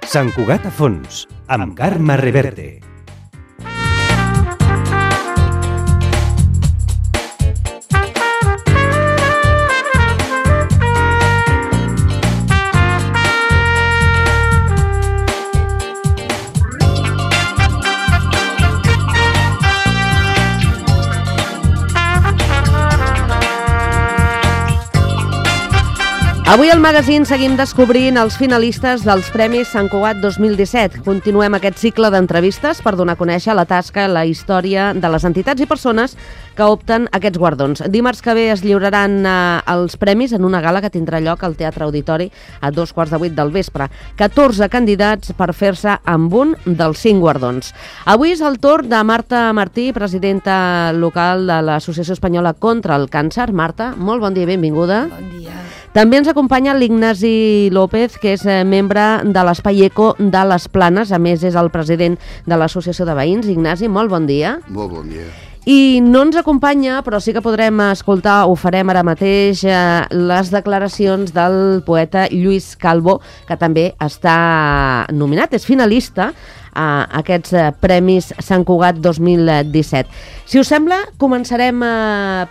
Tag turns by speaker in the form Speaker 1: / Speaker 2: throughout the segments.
Speaker 1: Sant Cugat a fons, amb Carme Reverte.
Speaker 2: Avui al magazín seguim descobrint els finalistes dels Premis Sant Cugat 2017. Continuem aquest cicle d'entrevistes per donar a conèixer la tasca i la història de les entitats i persones que opten aquests guardons. Dimarts que ve es lliuraran els premis en una gala que tindrà lloc al Teatre Auditori a 2:15 del vespre. 14 candidats per fer-se amb un dels 5 guardons. Avui és el torn de Marta Martí, presidenta local de l'Associació Espanyola contra el Càncer. Marta, molt bon dia i benvinguda.
Speaker 3: Bon dia.
Speaker 2: També ens acompanya l'Ignasi López, que és membre de l'Espai Eco de les Planes. A més, és el president de l'Associació de Veïns. Ignasi, molt bon dia.
Speaker 4: Molt bon dia.
Speaker 2: I no ens acompanya, però sí que podrem escoltar, ho farem ara mateix, les declaracions del poeta Lluís Calvo, que també està nominat, és finalista a aquests Premis Sant Cugat 2017. Si us sembla, començarem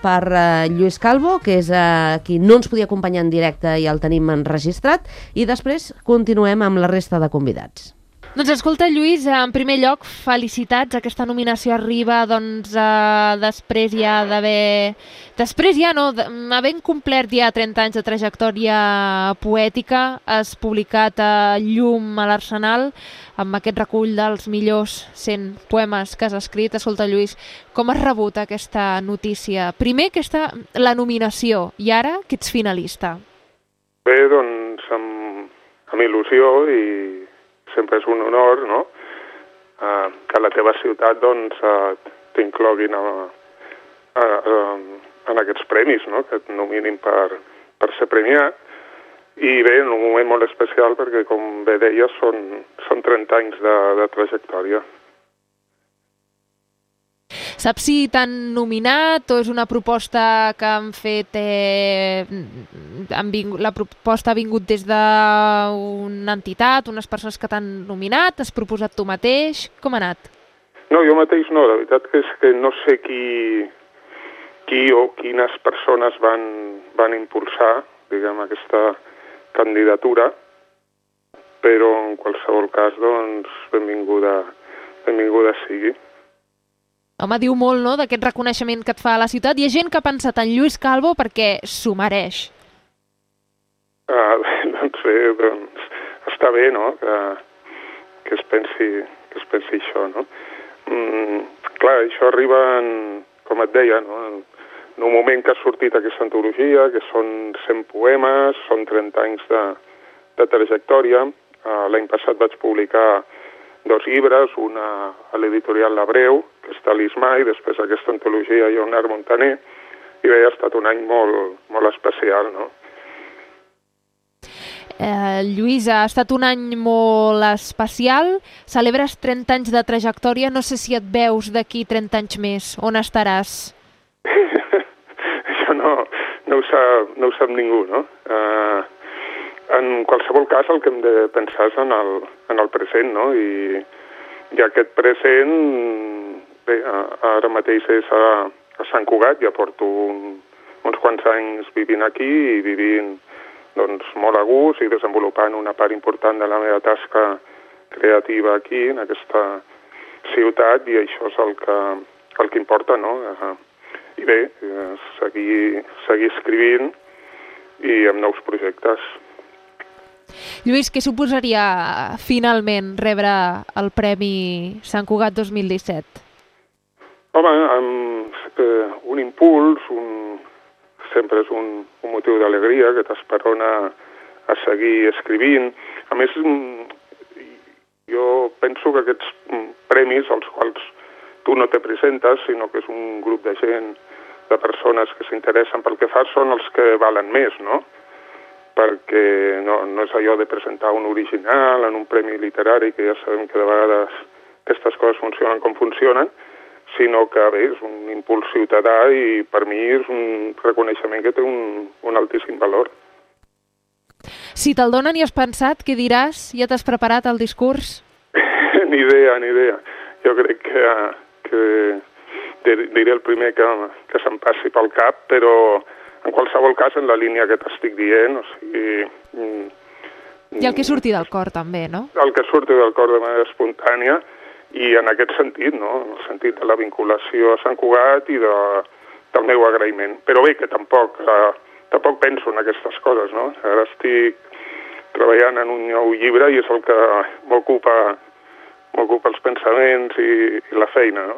Speaker 2: per Lluís Calvo, que és qui no ens podia acompanyar en directe i el tenim enregistrat, i després continuem amb la resta de convidats.
Speaker 3: Doncs escolta, Lluís, en primer lloc, felicitats. Aquesta nominació arriba després ja d'haver... havent complert ja 30 anys de trajectòria poètica, has publicat a Llum a l'Arsenal amb aquest recull dels millors 100 poemes que has escrit. Escolta, Lluís, com has rebut aquesta notícia? Primer, la nominació, i ara que ets finalista.
Speaker 5: Bé, doncs, amb il·lusió, i sempre és un honor, no?, que la teva ciutat, doncs, t'incloguin en aquests premis, no?, que et nominin per ser premiat. I bé, en un moment molt especial perquè, com bé deies, són 30 anys de trajectòria.
Speaker 3: Saps si t'han nominat o és una proposta que han fet... la proposta ha vingut des d'una entitat, unes persones que t'han nominat? Has proposat tu mateix? Com ha anat?
Speaker 5: No, jo mateix no. La veritat és que no sé qui o quines persones van impulsar, diguem, aquesta candidatura, però en qualsevol cas, doncs, benvinguda sigui.
Speaker 3: Home, diu molt, no?, d'aquest reconeixement que et fa a la ciutat. Hi ha gent que ha pensat en Lluís Calvo perquè s'ho mereix.
Speaker 5: Doncs bé, està bé, no?, que es pensi això, no? Clar, això arriba, com et deia, no?, en un moment que ha sortit aquesta antologia, que són 100 poemes, són 30 anys de trajectòria. L'any passat vaig publicar 2 llibres, una a l'editorial L'Abreu, que és Talismà, i després aquesta antologia Lleonard Montaner, i bé, ha estat un any molt especial, no?
Speaker 3: Lluís, ha estat un any molt especial, celebres 30 anys de trajectòria, no sé si et veus d'aquí 30 anys més, on estaràs?
Speaker 5: Això no ho sap ningú, no? En qualsevol cas, el que hem de pensar és en el present, no? I aquest present, bé, ara mateix és a Sant Cugat, ja porto uns quants anys vivint aquí i vivint, doncs, molt a gust i desenvolupant una part important de la meva tasca creativa aquí, en aquesta ciutat, i això és el que importa, no? I bé, seguir escrivint i amb nous projectes.
Speaker 3: Lluís, què suposaria finalment rebre el Premi Sant Cugat 2017?
Speaker 5: Home, un impuls, sempre és un motiu d'alegria que t'esperona a seguir escrivint. A més, jo penso que aquests premis, als quals tu no te presentes, sinó que és un grup de gent, de persones que s'interessen pel que fas, són els que valen més, no? Perquè no és allò de presentar un original en un premi literari, que ja sabem que de vegades aquestes coses funcionen com funcionen, sinó que bé, és un impuls ciutadà i per mi és un reconeixement que té un altíssim valor.
Speaker 3: Si te'l donen i has pensat, què diràs? Ja t'has preparat el discurs?
Speaker 5: Ni idea. Jo crec que diré el primer que se'm passi pel cap, però en qualsevol cas en la línia que t'estic dient, o sigui...
Speaker 3: I el que surti del cor també, no?
Speaker 5: El que surti del cor de manera espontània i en aquest sentit, no? En el sentit de la vinculació a Sant Cugat i del meu agraïment. Però bé, que tampoc penso en aquestes coses, no? Ara estic treballant en un nou llibre i és el que m'ocupa els pensaments i la feina, no?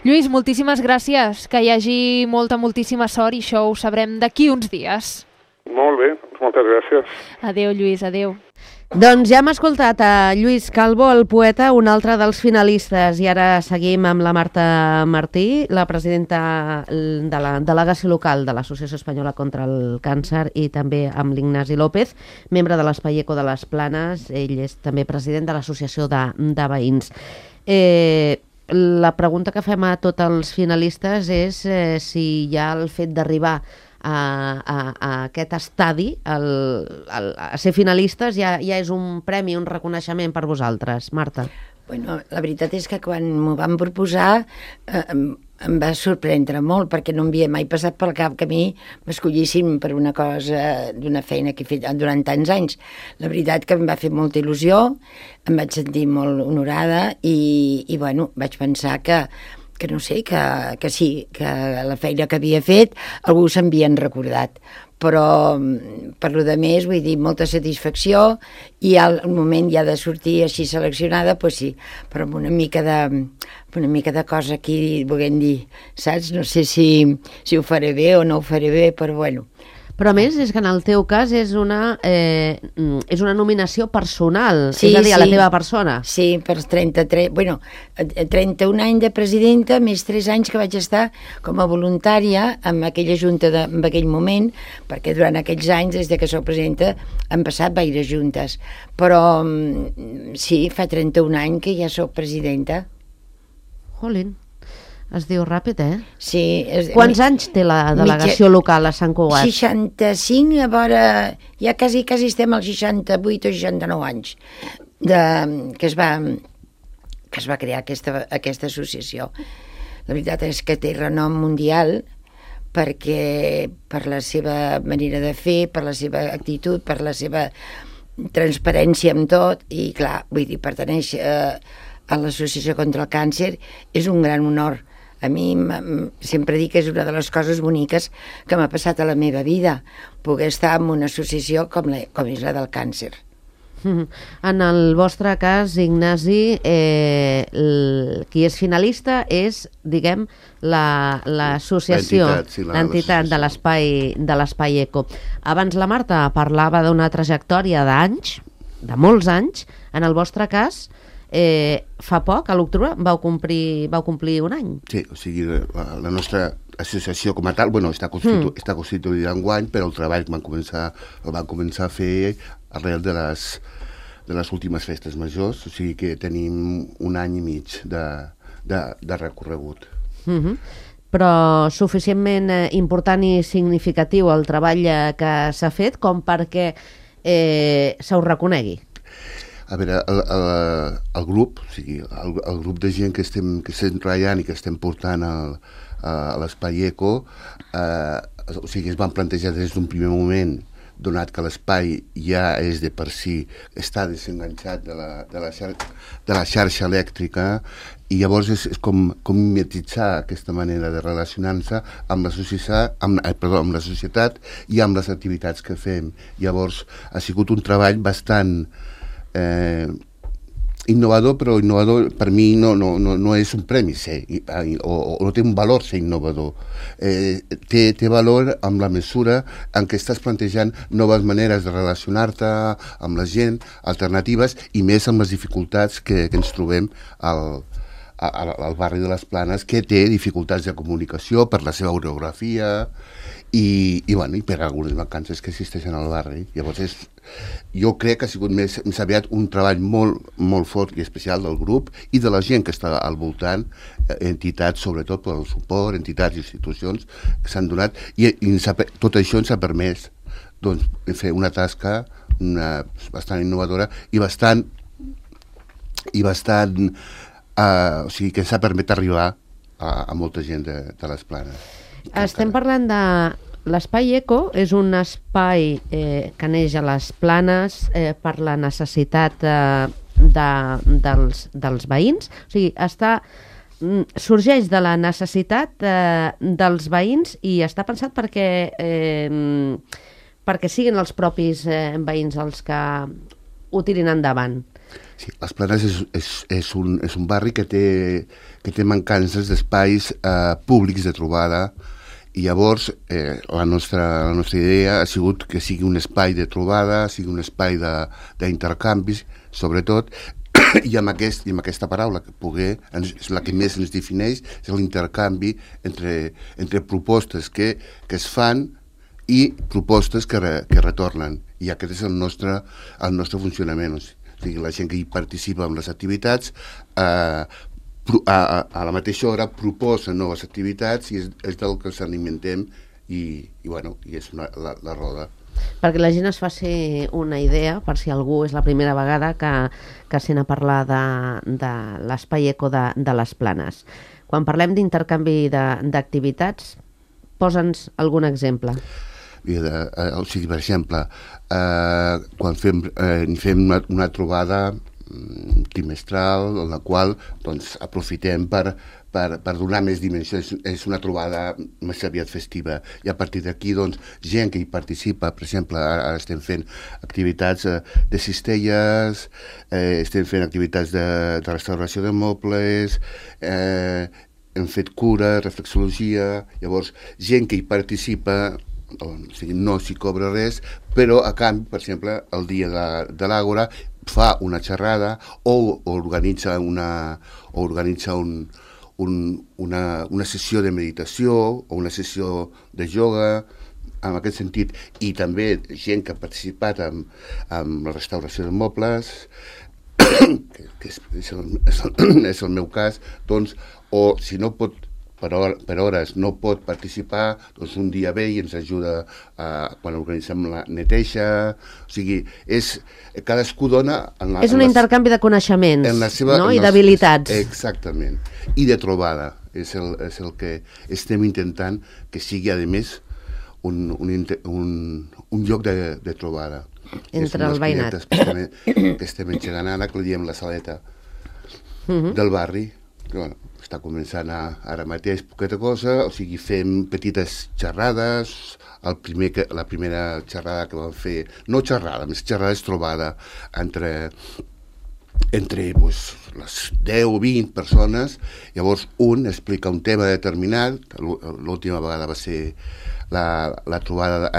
Speaker 3: Lluís, moltíssimes gràcies, que hi hagi moltíssima sort i això ho sabrem d'aquí uns dies.
Speaker 5: Molt bé, moltes gràcies.
Speaker 3: Adéu, Lluís, adéu.
Speaker 2: Doncs ja hem escoltat a Lluís Calvo, el poeta, un altre dels finalistes, i ara seguim amb la Marta Martí, la presidenta de la delegació local de l'Associació Espanyola contra el Càncer, i també amb l'Ignasi López, membre de l'Espai Eco de les Planes. Ell és també president de l'Associació de Veïns. La pregunta que fem a tots els finalistes és si ja el fet d'arribar a aquest estadi, a ser finalistes, ja és un premi, un reconeixement per vosaltres. Marta.
Speaker 4: Bueno, la veritat és que quan m'ho van proposar em va sorprendre molt, perquè no m'havia mai passat pel cap que a mi m'escollissin per una cosa, d'una feina que he fet durant tants anys. La veritat que em va fer molta il·lusió, em vaig sentir molt honorada i bueno, vaig pensar que no sé, que sí, que la feina que havia fet algú s'havien recordat. Però per lo de més, vull dir, molta satisfacció, i al moment ja de sortir així seleccionada, doncs sí, però amb una mica de cosa aquí, volent dir, saps? No sé si ho faré bé o no ho faré bé, però bueno.
Speaker 2: Però a més és que en el teu cas és una nominació personal,
Speaker 4: sí,
Speaker 2: és a dir, a la teva persona.
Speaker 4: Sí, per 31 anys de presidenta, més 3 anys que vaig estar com a voluntària en aquella junta en aquell moment, perquè durant aquells anys, des que soc presidenta, han passat gaires juntes. Però sí, fa 31 anys que ja soc presidenta.
Speaker 2: Jolín. Es diu ràpid, eh?
Speaker 4: Sí.
Speaker 2: Quants anys té la delegació local a Sant Cugat?
Speaker 4: 65, a veure, ja quasi estem als 68 o 69 anys que es va crear aquesta associació. La veritat és que té renom mundial perquè per la seva manera de fer, per la seva actitud, per la seva transparència amb tot, i clar, vull dir, pertanèixer a l'Associació contra el Càncer és un gran honor. A mi sempre dic que és una de les coses boniques que m'ha passat a la meva vida, poder estar en una associació com és la del càncer.
Speaker 2: En el vostre cas, Ignasi, qui és finalista és, diguem, l'associació, l'entitat de l'Espai Eco. Abans la Marta parlava d'una trajectòria d'anys, de molts anys. En el vostre cas, fa poc, a l'octubre, vau complir un any.
Speaker 6: Sí, o sigui, la nostra associació com a tal, bueno, està constituïda enguany, però el treball el van començar a fer arrel de les últimes festes majors, o sigui que tenim un any i mig de recorregut.
Speaker 2: Però suficientment important i significatiu el treball que s'ha fet com perquè se us reconegui.
Speaker 6: A veure, el grup, o sigui, el grup de gent que estem treballant i que estem portant a l'Espai Eco, o sigui, es van plantejar des d'un primer moment, donat que l'espai ja és de per si, està desenganxat de la xarxa elèctrica, i llavors és com mimetitzar aquesta manera de relacionar-se amb la societat i amb les activitats que fem. Llavors ha sigut un treball bastant innovador, però innovador per mi no és un premi ser, o no té un valor ser innovador. Té valor amb la mesura en què estàs plantejant noves maneres de relacionar-te amb la gent, alternatives, i més amb les dificultats que ens trobem al barri de les Planes, que té dificultats de comunicació per la seva orografia i per algunes mancances que existeixen al barri. Llavors, jo crec que ha sigut més aviat un treball molt fort i especial del grup i de la gent que està al voltant, entitats, sobretot per el suport, entitats i institucions que s'han donat, i tot això ens ha permès fer una tasca bastant innovadora i bastant o sigui, que ens ha permès arribar a molta gent de les Planes.
Speaker 2: Estem parlant de l'espai Eco, és un espai que neix a les Planes per la necessitat dels veïns, o sigui, sorgeix de la necessitat dels veïns i està pensat perquè siguin els propis veïns els que ho tirin endavant.
Speaker 6: Sí, les Planes és un barri que té mancances d'espais públics de trobada, i llavors la nostra idea ha sigut que sigui un espai de trobada, sigui un espai d'intercanvis, sobretot, i amb aquesta paraula que és la que més ens defineix, és l'intercanvi entre propostes que es fan i propostes que retornen. I aquest és el nostre funcionament. O sigui, la gent que hi participa en les activitats a la mateixa hora proposa noves activitats i és del que ens alimentem i és la roda.
Speaker 2: Perquè la gent es faci una idea, per si algú és la primera vegada que sent a parlar de l'espai Eco de les Planes. Quan parlem d'intercanvi d'activitats, posa'ns algun exemple.
Speaker 6: O sigui, per exemple, quan fem una trobada trimestral en la qual aprofitem per donar més dimensió, és una trobada més aviat festiva, i a partir d'aquí gent que hi participa, per exemple, ara estem fent activitats de cistelles, estem fent activitats de restauració de mobles, hem fet cura, reflexologia, llavors gent que hi participa, o sigui, no s'hi cobra res, però a canvi, per exemple, el dia de l'Àgora fa una xerrada o organitza una sessió de meditació o una sessió de ioga, en aquest sentit, i també gent que ha participat en la restauració de mobles, que és el meu cas, o si no pot per hores no pot participar, un dia ve i ens ajuda quan organitzem la neteja. O sigui, cadascú dona...
Speaker 2: És un intercanvi de coneixements i d'habilitats.
Speaker 6: Exactament. I de trobada. És el que estem intentant que sigui, a més, un lloc de trobada.
Speaker 2: Entre el veïnat.
Speaker 6: Que estem engegant ara, que li diem la saleta del barri, que està començant ara mateix poqueta cosa, o sigui, fem petites xerrades. La primera xerrada que vam fer, no xerrada, més xerrada és trobada entre les 10 o 20 persones. Llavors un explica un tema determinat. L'última vegada va ser la trobada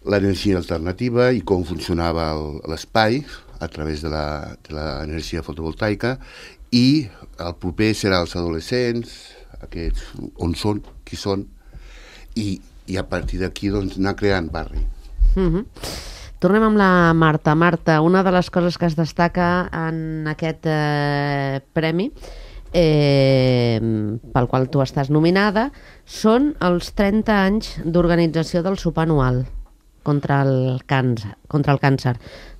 Speaker 6: l'energia alternativa i com funcionava l'espai a través de l'energia fotovoltaica, i el proper serà els adolescents, aquests on són, qui són, i a partir d'aquí anar creant barri.
Speaker 2: Tornem amb la Marta. Marta, una de les coses que es destaca en aquest premi pel qual tu estàs nominada són els 30 anys d'organització del sopar anual contra el càncer.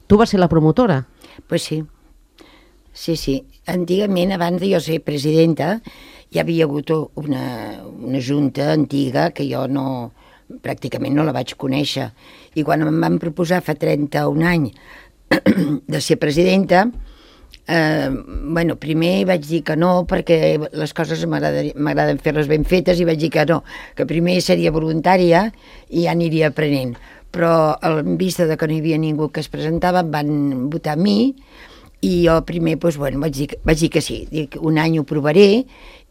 Speaker 2: Tu vas ser la promotora?
Speaker 4: Pues sí. Sí. Antigament, abans de jo ser presidenta, hi havia hagut una junta antiga que jo pràcticament no la vaig conèixer. I quan em van proposar fa 31 anys de ser presidenta, primer vaig dir que no, perquè les coses m'agraden fer-les ben fetes, i vaig dir que no, que primer seria voluntària i ja aniria aprenent. Però en vista de que no hi havia ningú que es presentava, em van votar a mi, i jo primer vaig dir que sí. Dic, un any ho provaré,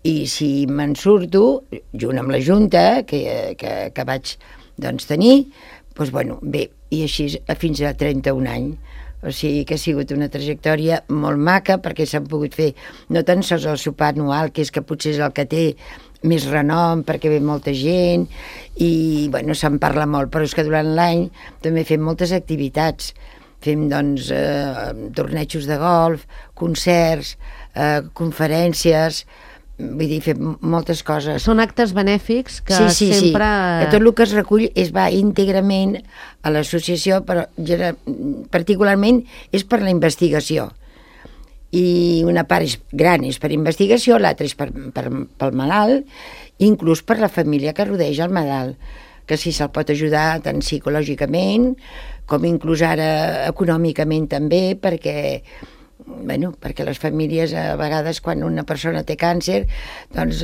Speaker 4: i si me'n surto, junt amb la Junta que vaig tenir, bé, i així fins a 31 anys. O sigui que ha sigut una trajectòria molt maca, perquè s'han pogut fer no tan sols el sopar anual, que és que potser és el que té més renom, perquè ve molta gent, i bueno, se'n parla molt, però és que durant l'any també fem moltes activitats. Fem, doncs, tornejos de golf, concerts, conferències, vull dir, fem moltes coses.
Speaker 2: Són actes benèfics que
Speaker 4: sí.
Speaker 2: sempre...
Speaker 4: Que tot el que es recull es va íntegrament a l'associació, però particularment és per la investigació. I una part gran és per investigació, l'altra és pel malalt, inclús per la família que rodeja el malalt, que si se'l pot ajudar tant psicològicament com inclús ara econòmicament també, perquè les famílies a vegades quan una persona té càncer doncs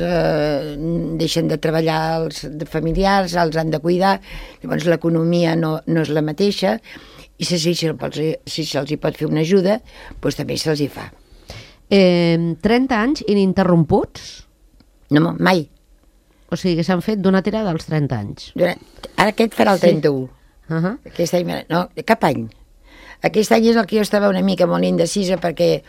Speaker 4: deixen de treballar els familiars, els han de cuidar, llavors l'economia no és la mateixa, i si se'ls hi pot fer una ajuda, doncs també se'ls hi fa.
Speaker 2: 30 anys ininterromputs?
Speaker 4: No, mai.
Speaker 2: O sigui, s'han fet d'una tirada als 30 anys.
Speaker 4: Ara aquest farà el 31. Aquest any, no, cap any. Aquest any és el que jo estava una mica molt indecisa perquè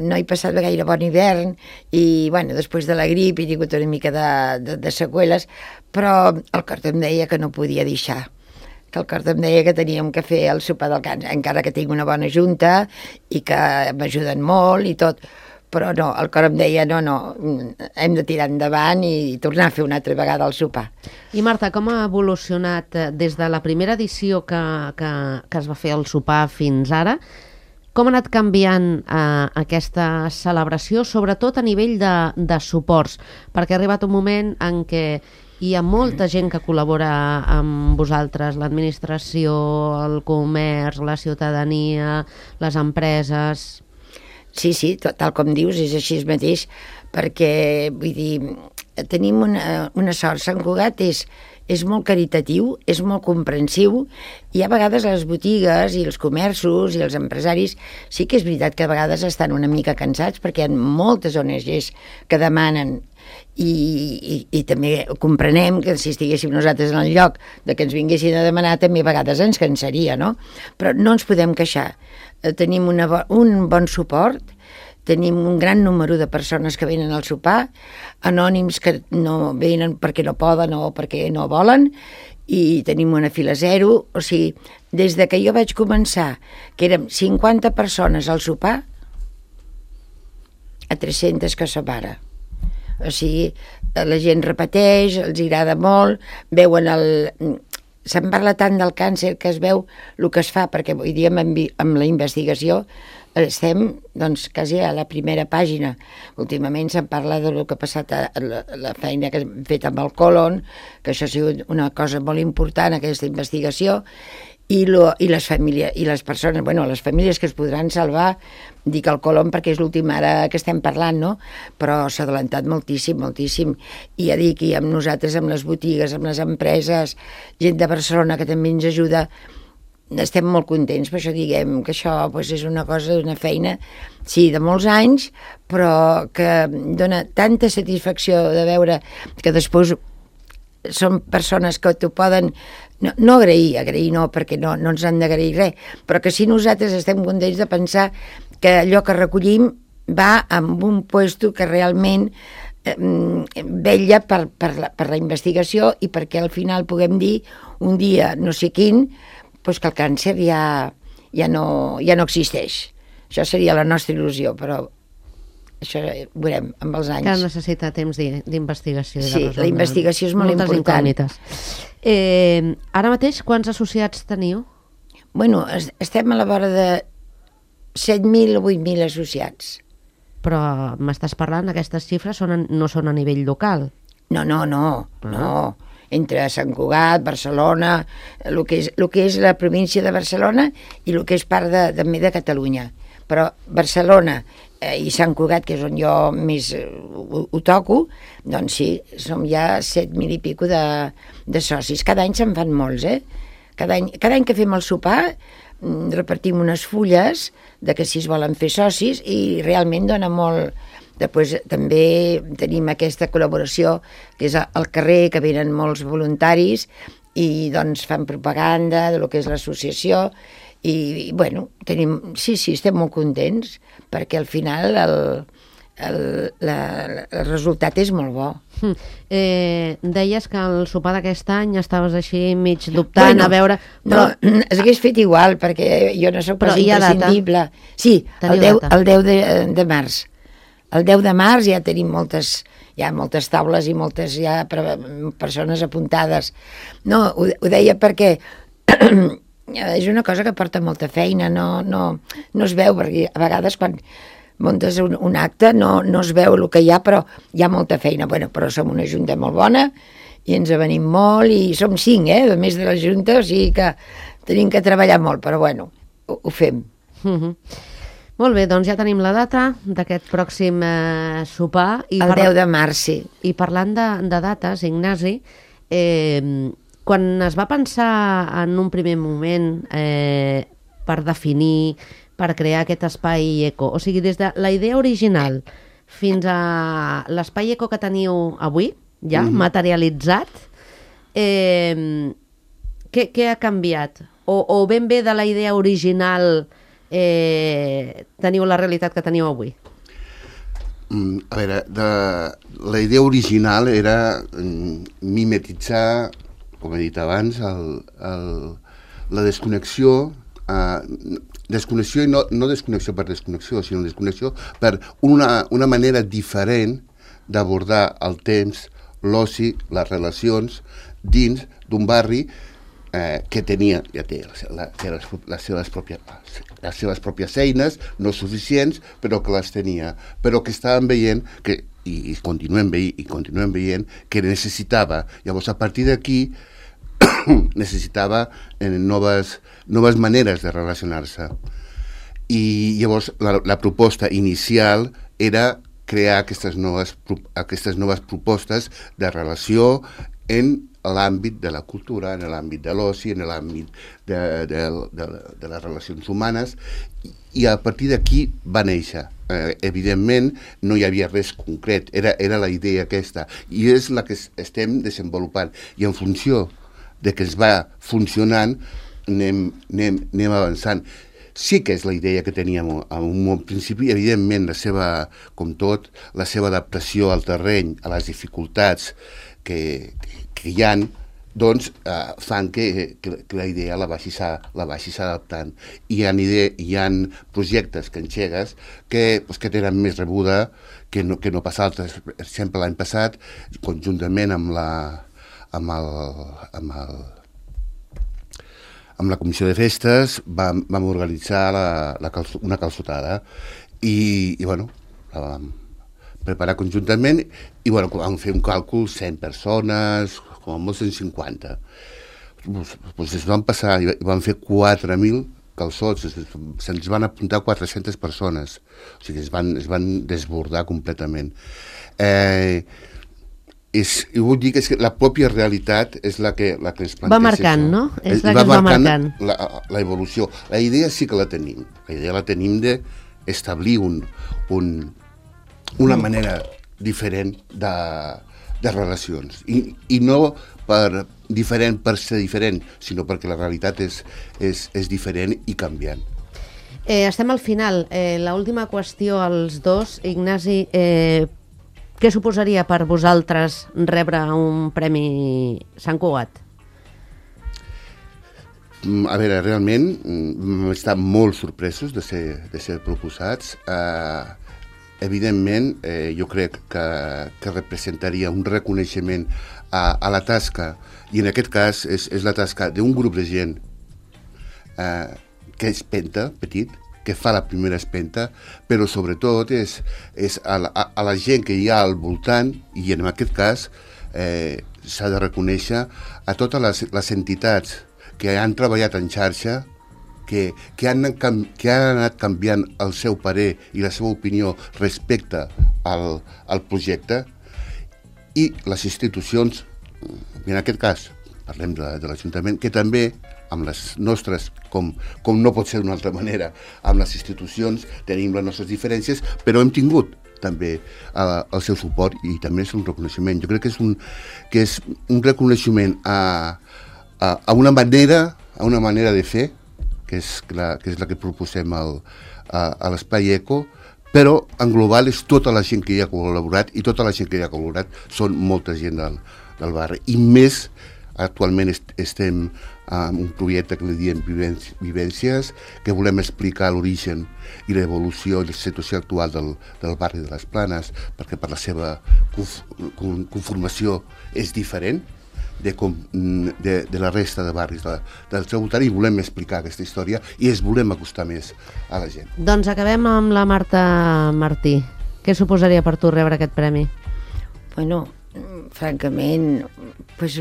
Speaker 4: no he passat gaire bon hivern i, bueno, després de la grip he tingut una mica de seqüeles, però el cor em deia que no podia deixar, que el cor em deia que teníem que fer el sopar del càncer, encara que tinc una bona junta i que m'ajuden molt i tot, però no, el cor em deia no, hem de tirar endavant i tornar a fer una altra vegada el sopar.
Speaker 2: I Marta, com ha evolucionat des de la primera edició que es va fer el sopar fins ara? Com ha anat canviant aquesta celebració, sobretot a nivell de suports? Perquè ha arribat un moment en què hi ha molta gent que col·labora amb vosaltres, l'administració, el comerç, la ciutadania, les empreses...
Speaker 4: Sí, tal com dius, és així mateix, perquè, vull dir, tenim una sort. Sant Cugat és molt caritatiu, és molt comprensiu, i a vegades les botigues i els comerços i els empresaris sí que és veritat que a vegades estan una mica cansats perquè hi ha moltes ONGs que demanen i també comprenem que si estiguéssim nosaltres en el lloc de que ens vinguessin a demanar també a vegades ens cansaria, no? Però no ens podem queixar. Tenim un bon suport, tenim un gran número de persones que venen al sopar, anònims que no venen perquè no poden o perquè no volen, i tenim una fila zero. O sigui, des de que jo vaig començar, que érem 50 persones al sopar, a 300 que som ara. O sigui, la gent repeteix, els agrada molt, veuen se'n parla tant del càncer que es veu el que es fa, perquè avui dia amb la investigació estem doncs, quasi a la primera pàgina. Últimament se'n parla del que ha passat la feina que hem fet amb el còlon, que això ha sigut una cosa molt important, aquesta investigació, i les famílies i les persones, bueno, les famílies que es podran salvar, dic el còlon perquè és l'últim ara que estem parlant, no? Però s'ha adelantat moltíssim, i ja dic, i amb nosaltres, amb les botigues, amb les empreses, gent de Barcelona que també ens ajuda, estem molt contents. Per això diguem que això és una cosa, una feina, sí, de molts anys, però que dona tanta satisfacció de veure que després són persones que t'ho poden no agrair no, perquè no ens han d'agrair res, però que si nosaltres estem contents de pensar que allò que recollim va amb un puesto que realment vetlla per la investigació i perquè al final puguem dir un dia no sé quin doncs que el càncer ja no existeix. Això seria la nostra il·lusió, però això ho veurem amb els anys.
Speaker 2: Que necessita temps d'investigació.
Speaker 4: Sí, la investigació és molt important.
Speaker 2: Moltes incògnites. Ara mateix, quants associats teniu?
Speaker 4: Bueno, estem a la vora de 7.000 o 8.000 associats.
Speaker 2: Però m'estàs parlant, aquestes xifres no són a nivell local? No. Entre Sant Cugat, Barcelona, el que és la província de Barcelona i el que és part també de Catalunya. Però Barcelona i Sant Cugat, que és on jo més ho toco, doncs sí, som ja 7.000 i pico de socis. Cada any se'n fan molts, Cada any que fem el sopar repartim unes fulles de que si es volen fer socis i realment dona molt. Després també tenim aquesta col·laboració que és al carrer, que venen molts voluntaris i doncs fan propaganda de lo que és l'associació
Speaker 4: I bueno, sí, estem molt contents, perquè al final el resultat és molt bo.
Speaker 2: Deies que el sopar d'aquest any estaves així mig dubtant, a veure...
Speaker 4: Però... No, s'hagués fet igual, perquè jo no soc pas imprescindible. Sí, el 10 de març. El 10 de març ja tenim moltes taules i moltes ja persones apuntades. No, ho deia perquè és una cosa que porta molta feina, no es veu, perquè a vegades quan muntes un acte no es veu el que hi ha, però hi ha molta feina. Bueno, però som una junta molt bona i ens avenim molt i som 5, a més de la junta, o sigui que tenim que treballar molt, però bueno, ho fem.
Speaker 2: Molt bé, doncs ja tenim la data d'aquest pròxim sopar.
Speaker 4: El 10 de març, sí.
Speaker 2: I parlant de dates, Ignasi, quan es va pensar en un primer moment per definir, per crear aquest espai eco, o sigui, des de la idea original fins a l'espai eco que teniu avui, ja materialitzat, què ha canviat? O ben bé de la idea original teniu la realitat que teniu avui?
Speaker 6: A veure, la idea original era mimetitzar, com he dit abans, la desconnexió, desconnexió i no desconnexió per desconnexió, sinó desconnexió per una manera diferent d'abordar el temps, l'oci, les relacions dins d'un barri que ja té les seves pròpies eines, no suficients, però que les tenia, però que estàvem veient i continuem veient que necessitava. Llavors, a partir d'aquí, necessitava noves maneres de relacionar-se. I llavors la proposta inicial era crear aquestes noves propostes de relació en l'àmbit de la cultura, en l'àmbit de l'oci, en l'àmbit de les relacions humanes, i a partir d'aquí va néixer. Evidentment, no hi havia res concret, era la idea aquesta, i és la que estem desenvolupant, i en funció de que es va funcionant, anem avançant. Sí que és la idea que teníem en un principi, evidentment, com tot, la seva adaptació al terreny, a les dificultats que hi ha, doncs fan que la idea la vagis adaptant. Hi ha projectes que engegues que tenen més rebuda que no pas altres. Per exemple, l'any passat, conjuntament amb la comissió de festes vam organitzar una calçotada i bueno, la vam preparar conjuntament i bueno, vam fer un càlcul 100 persones, com a molt 150. Doncs es van passar i van fer 4.000 calçots, se'ns van apuntar 400 persones, o sigui, es van desbordar completament. Vull dir que la pròpia realitat és la que ens planteja.
Speaker 2: Va marcant, no? És la que es va marcant.
Speaker 6: La evolució. La idea sí que la tenim. La idea la tenim d'establir una manera diferent de relacions. I no diferent per ser diferent, sinó perquè la realitat és diferent i canviant.
Speaker 2: Estem al final. L'última qüestió als dos. Ignasi, què suposaria per vosaltres rebre un Premi Sant Cugat?
Speaker 6: A veure, realment vam estar molt sorpresos de ser proposats. Evidentment, jo crec que representaria un reconeixement a la tasca, i en aquest cas és la tasca d'un grup de gent que és petit, que fa la primera espenta, però sobretot és a la gent que hi ha al voltant, i en aquest cas s'ha de reconèixer a totes les entitats que han treballat en xarxa, que han anat canviant el seu parer i la seva opinió respecte al projecte, i les institucions, en aquest cas parlem de l'Ajuntament, que també amb les nostres, com no pot ser d'una altra manera, amb les institucions tenim les nostres diferències, però hem tingut també el seu suport, i també és un reconeixement. Jo crec que és un reconeixement a una manera de fer que és la que proposem a l'Espai Eco, però en global és tota la gent que hi ha col·laborat, i tota la gent que hi ha col·laborat són molta gent del barri. I més, actualment estem en un projecte que li diem Vivències, que volem explicar l'origen i l'evolució i la situació actual del barri de les Planes, perquè per la seva conformació és diferent de la resta de barris del seu voltant, i volem explicar aquesta història i volem acostar més a la gent.
Speaker 2: Doncs acabem amb la Marta Martí. Què suposaria per tu rebre aquest premi?
Speaker 4: Bueno, francament, pues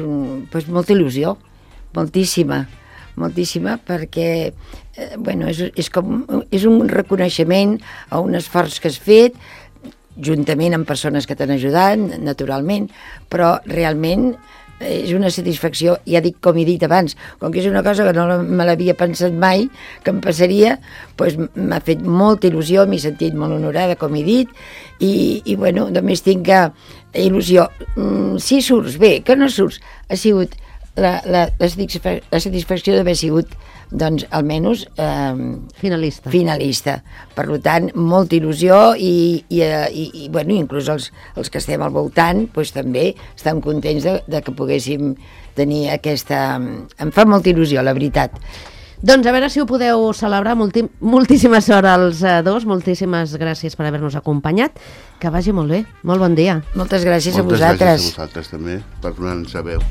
Speaker 4: molta il·lusió, moltíssima, perquè és un reconeixement a un esforç que has fet, juntament amb persones que t'han ajudat, naturalment, però realment és una satisfacció, ja dic, com he dit abans, com que és una cosa que no me l'havia pensat mai, que em passaria, doncs m'ha fet molta il·lusió, m'he sentit molt honorada, com he dit, i bueno, només tinc il·lusió. Si surts bé, que no surts, ha sigut la satisfacció d'haver sigut, doncs, almenys finalista. Per tant, molta il·lusió i bueno, inclús els que estem al voltant, doncs també estem contents de que poguéssim tenir aquesta... Em fa molta il·lusió, la veritat.
Speaker 2: Doncs a veure si ho podeu celebrar. Moltíssima sort als dos, moltíssimes gràcies per haver-nos acompanyat. Que vagi molt bé, molt bon dia.
Speaker 4: Moltes gràcies a
Speaker 6: Moltes
Speaker 4: vosaltres.
Speaker 6: gràcies a vosaltres també per donar-nos a veu.